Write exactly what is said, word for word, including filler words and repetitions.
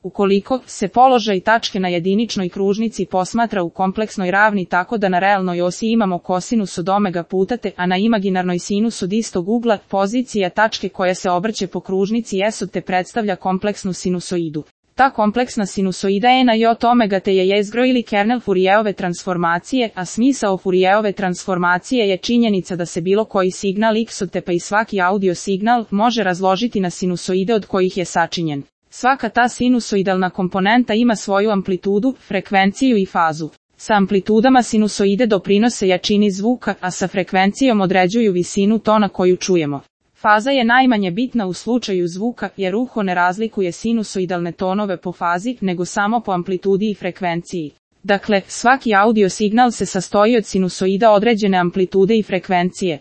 Ukoliko se položaj tačke na jediničnoj kružnici posmatra u kompleksnoj ravni tako da na realnoj osi imamo kosinus od omega puta t, a na imaginarnoj sinus od istog ugla, pozicija tačke koja se obrće po kružnici s od t predstavlja kompleksnu sinusoidu. Ta kompleksna sinusoida e na j od omega t je jezgro ili kernel Fourijerove transformacije, a smisao Fourijerove transformacije je činjenica da se bilo koji signal x od t pa i svaki audio signal može razložiti na sinusoide od kojih je sačinjen. Svaka ta sinusoidalna komponenta ima svoju amplitudu, frekvenciju i fazu. Sa amplitudama sinusoide doprinose jačini zvuka, a sa frekvencijom određuju visinu tona koju čujemo. Faza je najmanje bitna u slučaju zvuka, jer uho ne razlikuje sinusoidalne tonove po fazi, nego samo po amplitudi i frekvenciji. Dakle, svaki audio signal se sastoji od sinusoida određene amplitude i frekvencije.